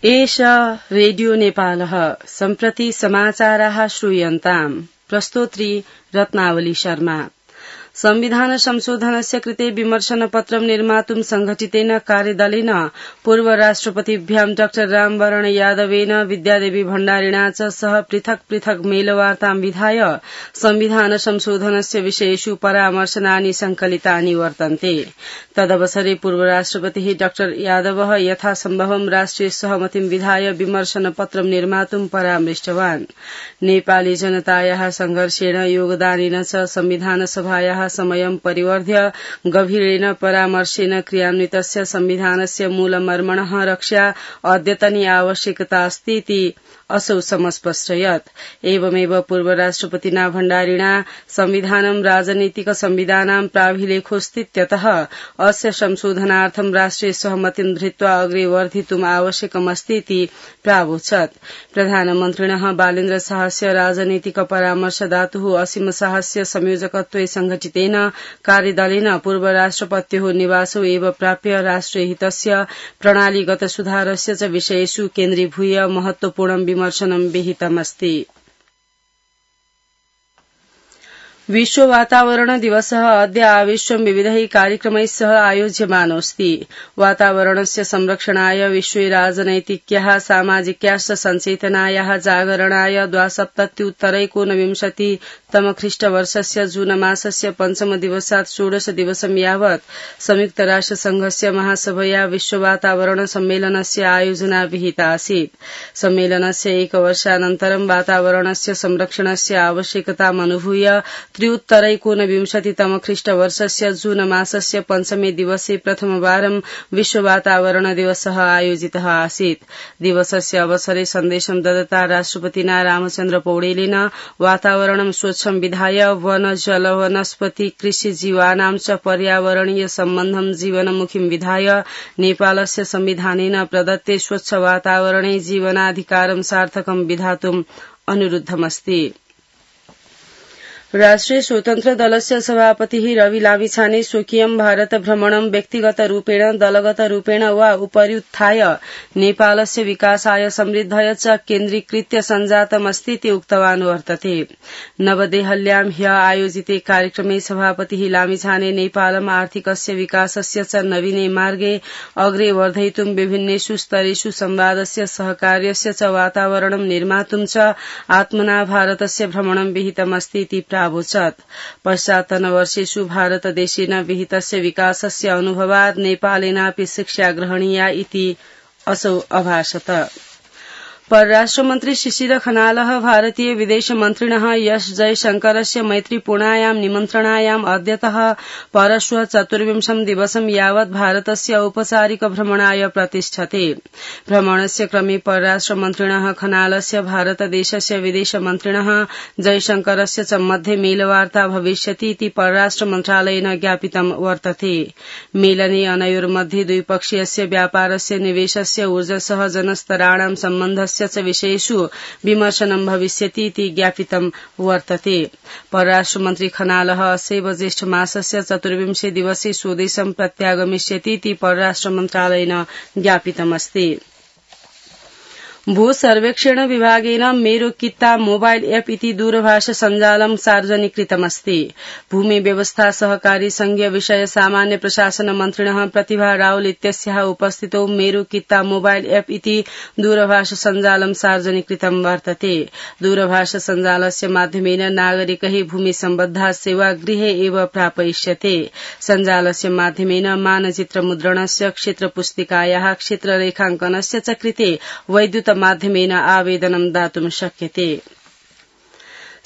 एष रेडियो नेपालः सम्प्रति समाचाराः श्रूयन्ताम् प्रस्तोत्री रत्नावली शर्मा। संविधान संशोधनस्य कृते विमर्शनपत्रं निर्मातुं संघटितेन कार्यदलेन पूर्व राष्ट्रपतिभ्यां डाक्टर रामवरण यादवेन विद्यादेवी भण्डारिणा च सह पृथक् पृथक् मेलवार्तां विधाय संविधान संशोधनस्य विषयेषु परामर्शनानि संकलितानि वर्तन्ते। तदवसरे पूर्व राष्ट्रपतिः डाक्टर यादवः यथासम्भवं राष्ट्रिय सहमतिं विधाय विमर्शनपत्रं निर्मातुं परामृष्टवान्। नेपाली जनतायाः संघर्षेण योगदानेन च संविधान सभायाः समयं परिवर्ध्य गभीरेण परामर्शेन क्रियान्वितस्य संविधानस्य मूलमर्मणः रक्षा अद्यतनी आवश्यकता अस्तीति असौ समस्पष्टयत्। एवमेव पूर्व राष्ट्रपतिना भण्डारिणा संविधानं राजनीतिक संविधानां प्राभिलेखोऽस्तीत्यतः अस्य संशोधनार्थं राष्ट्रिय सहमतिं धृत्वा अग्रे वर्धितुम् आवश्यकमस्तीति प्रावोचत्। प्रधानमन्त्रिणः बालेन्द्र शाहस्य राजनीतिक परामर्शदातुः असीम शाहस्य संयोजकत्वे संघटितेन कार्यदलेन पूर्व राष्ट्रपत्योः निवासो एव प्राप्य राष्ट्रियहितस्य प्रणालीगत सुधारस्य च विषयेषु केन्द्रीभूय महत्वपूर्णं विमर्शनं विहितमस्ति। विश्व वातावरण दिवसः अद्य आविश्वं विविधैः कार्यक्रमैः सह आयोज्यमानोऽस्ति। वातावरणस्य संरक्षणाय विश्वे राजनैतिक्याः सामाजिक्याश्च सञ्चेतनायाः जागरणाय 2017-तमख्रीष्टवर्षस्य जून मासस्य 5 दिवसात् 16 दिवसं यावत् संयुक्तराष्ट्रसंघस्य महासभया विश्व वातावरण सम्मेलनस्य आयोजना विहिता आसीत्। सम्मेलनस्य एकवर्षानन्तरं वातावरणस्य संरक्षणस्य आवश्यकतामनुभूय 2019-तमख्रीष्टवर्षस्य जून मासस्य 5 दिवसे प्रथमवारं विश्व वातावरण दिवसः आयोजितः आसीत्। दिवसस्य अवसरे सन्देशं ददता राष्ट्रपतिना रामचन्द्र पौडेलेन वातावरणं स्वच्छं विधाय वन जल वनस्पति कृषि जीवानां च पर्यावरणीय सम्बन्धं जीवनमुखीं विधाय नेपालस्य संविधानेन प्रदत्ते स्वच्छ वातावरणे जीवनाधिकारं सार्थकं विधातुम् अनुरुद्धमस्ति। राष्ट्रिय स्वतन्त्र दलस्य सभापतिः रवि लामिछाने स्वकीयं भारत भ्रमणं व्यक्तिगत रूपेण दलगत रूपेण वा उपर्युत्थाय नेपालस्य विकासाय समृद्धय च केन्द्रीकृत्य सञ्जातमस्तीति उक्तवान् वर्तते। नवदेहल्यां ह्य आयोजिते कार्यक्रमे सभापतिः लामिछाने नेपालम् आर्थिकस्य विकासस्य च नवीने मार्गे अग्रे वर्धयितुं विभिन्नेषु स्तरेषु संवादस्य सहकार्यस्य च वातावरणं निर्मातुं च आत्मना भारतस्य भ्रमणं विहितमस्तीति प्रावोचत्। पश्चात्तनवर्षेषु भारतदेशेन विहितस्य विकासस्य अनुभवात् नेपालेनापि शिक्षा ग्रहणीया इति असौ अभाषत। परराष्ट्रमन्त्री शिशिर खनालः भारतीय विदेशमन्त्रिणः एस जयशंकरस्य मैत्रीपूर्णायां निमन्त्रणायाम् अद्यतः परश्वः 24 दिवसं यावत् भारतस्य औपचारिक भ्रमणाय प्रतिष्ठते। भ्रमणस्य क्रमे परराष्ट्रमन्त्रिणः खनालस्य भारतदेशस्य विदेशमन्त्रिणः जयशंकरस्य च मध्ये मेलवार्ता भविष्यति इति परराष्ट्रमन्त्रालयेन ज्ञापितं वर्तते। मेलने अनयोर्मध्ये द्विपक्षीयस्य व्यापारस्य निवेशस्य ऊर्जसह जनस्तराणां सम्बन्धस्य च विषयेषु विमर्शनं भविष्यति इति ज्ञापितं वर्तते। परराष्ट्रमन्त्री खनालः अस्यैव ज्येष्ठ मासस्य 24 दिवसे स्वदेशं प्रत्यागमिष्यति इति परराष्ट्रमन्त्रालयेन ज्ञापितमस्ति। भू सर्वेक्षण विभागेन मेरो कित्ता मोबाइल एप इति दूरभाष सञ्जालं सार्वजनिकृतमस्ति। भूमि व्यवस्था सहकारी संघीय विषय सामान्य प्रशासन मन्त्रिणः प्रतिभा रावल इत्यस्याः उपस्थितौ मेरो कित्ता मोबाइल एप इति दूरभाष सञ्जालं सार्वजनिकृतं वर्तते। दूरभाष सञ्जालस्य माध्यमेन नागरिकैः भूमि सम्बद्धा सेवा गृहे एव प्रापयिष्यते। सञ्जालस्य माध्यमेन मानचित्र मुद्रणस्य क्षेत्र पुस्तिकायाः क्षेत्र रेखाङ्कनस्य च कृते वैद्युत माध्यमेन आवेदनं दातुं शक्यते।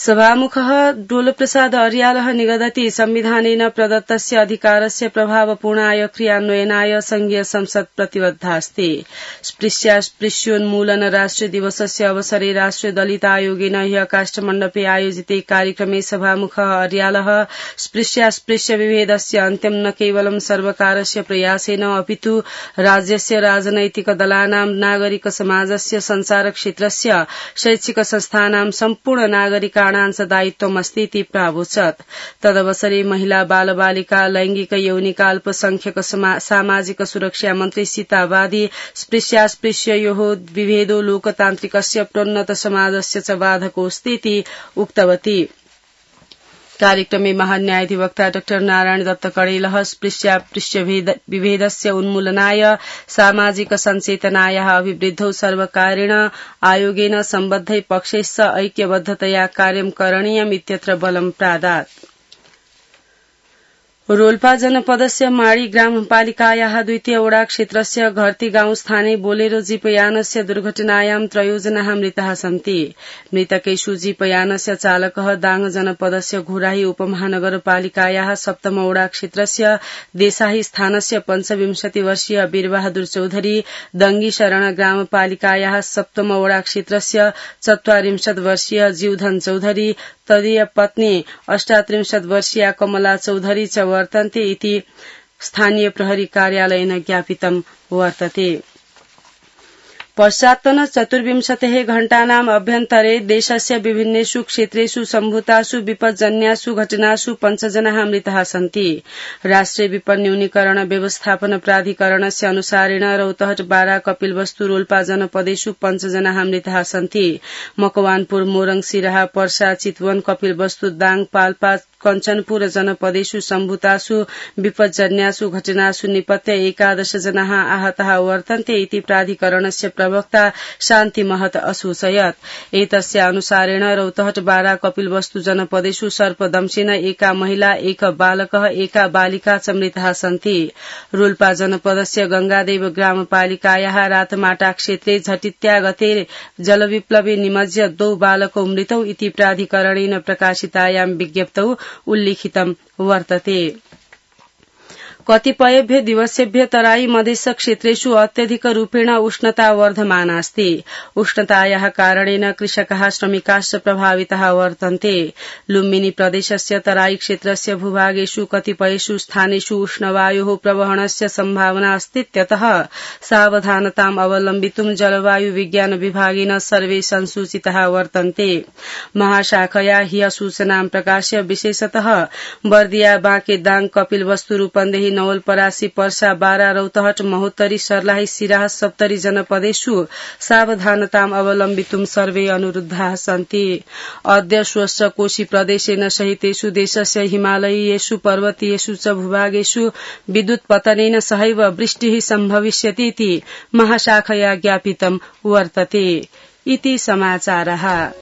सभामुखः डोलप्रसाद अर्यालः निगदति संविधानेन प्रदत्तस्य अधिकारस्य प्रभावपूर्णाय क्रियान्वयनाय संघीय संसद प्रतिबद्धास्ति। स्पृश्योन्मूलन राष्ट्रिय दिवसस्य अवसरे राष्ट्रिय दलित आयोगेन ह्य काष्ठमण्डपे आयोजिते कार्यक्रमे सभामुखः अर्यालः स्पृश्य विभेदस्य अन्त्यं न केवलं सर्वकारस्य प्रयासेन अपितु राज्यस्य राजनैतिक दलानां नागरिक समाजस्य संचार क्षेत्रस्य शैक्षिक संस्थानां सम्पूर्ण नागरिकाणां प्रमाणांशदायित्वमस्ति इति प्रावोचत्। तदवसरे महिला बालबालिका लैंगिक यौनिका अल्पसंख्यक सामाजिक सुरक्षा मन्त्री सीता वादी स्पृश्यास्पृश्ययोः विभेदो लोकतान्त्रिकस्य प्रोन्नत समाजस्य च बाधकोऽस्ति इति उक्तवती। कार्यक्रमे महान्यायाधिवक्ता डाक्टर नारायण दत्त कडेलः स्पृश्यास्पृश्य विभेदस्य उन्मूलनाय सामाजिक सञ्चेतनायाः अभिवृद्धौ सर्वकारेण आयोगेन सम्बद्धै पक्षैश्च ऐक्यबद्धतया कार्यं करणीयम् इत्यत्र बलं प्रादात्। रोल्पा जनपदस्य माडी ग्रामपालिकायाः द्वितीय वडा क्षेत्रस्य घर्ती गाउँ स्थाने बोलेरो जीपयानस्य दुर्घटनायां 3 जनाः मृताः सन्ति। मृतकेषु जीपयानस्य चालकः दाङ जनपदस्य घुराही उपमहानगरपालिकायाः सप्तम वडा क्षेत्रस्य देसाही स्थानस्य 25 वर्षीय वीरबहादुर चौधरी, दंगी शरण ग्रामपालिकायाः सप्तम वडा क्षेत्रस्य 44 वर्षीय जीवधन चौधरी, तदीय पत्नी 38 वर्षीया कमला चौधरी च वर्तन्ते इति स्थानीय प्रहरी कार्यालयेन ज्ञापितं वर्तते। पश्चात्तन 24 घण्टानाम् अभ्यन्तरे देशस्य विभिन्नेषु क्षेत्रेषु सम्भूतासु विपज्जन्यासु घटनासु 5 जनाः मृताः सन्ति। राष्ट्रिय विपद न्यूनीकरण व्यवस्थापन प्राधिकरणस्य अनुसारेण रौतहट, बारा, कपिलवस्तु, रोल्पा जनपदेषु 5 जनाः मृताः सन्ति। मकवानपुर, मोरङ, सिराहा, पर्सा, चितवन, कपिलवस्तु, दाङ, पाल्पा, कञ्चनपुर जनपदेषु सम्भूतासु विपज्जन्यासु घटनासु निपत्य 11 जनाः आहताः वर्तन्ते इति प्राधिकरणस्य प्रवक्ता शान्ति महत असूचयत्। एतस्य अनुसारेण रौतहट, बारा, कपिलवस्तु जनपदेषु सर्पदंशेन 1 महिला, 1 बालकः, 1 बालिका च मृताः सन्ति। रोल्पा जनपदस्य गंगादेव ग्रामपालिकायाः रातमाटा क्षेत्रे झटित्या गते जलविप्लवे निमज्य 2 बालकौ मृतौ इति प्राधिकरणेन प्रकाशितायां विज्ञप्तौ उल्लिखितं वर्तते। कतिपयेभ्य दिवसेभ्य तराई मधेश क्षेत्रेषु अत्यधिक रूपेण उष्णता वर्धमानास्ति। उष्णतायाः कारणेन कृषकाः, श्रमिकाश्च प्रभाविताः वर्तन्ते। लुम्बिनी प्रदेशस्य तराई क्षेत्रस्य भूभागेषु कतिपयेषु स्थानेषु उष्णवायोः प्रवहणस्य सम्भावना अस्तीत्यतः सावधानताम् अवलम्बितुं जलवायु विज्ञान विभागेन सर्वे संसूचिताः वर्तन्ते। महाशाखया ह्यः सूचनां प्रकाश्य विशेषतः बर्दिया, बाँके, दाङ, कपिलवस्तु, रूपन्देही, नवलपरासी, पर्सा, बारा, रौतहट, महोत्तरी, सर्लाही, सिराहा, सप्तरी जनपदेषु सावधानताम् अवलम्बितुं सर्वे अनुरुद्धाः सन्ति। अद्य श्वश्च कोशी प्रदेशेन सहितेषु देशस्य हिमालयीयेषु पर्वतीयेषु च भूभागेषु विद्युत् पतनेन सहैव वृष्टिः सम्भविष्यति इति महाशाखया ज्ञापितं वर्तते। इति समाचारः।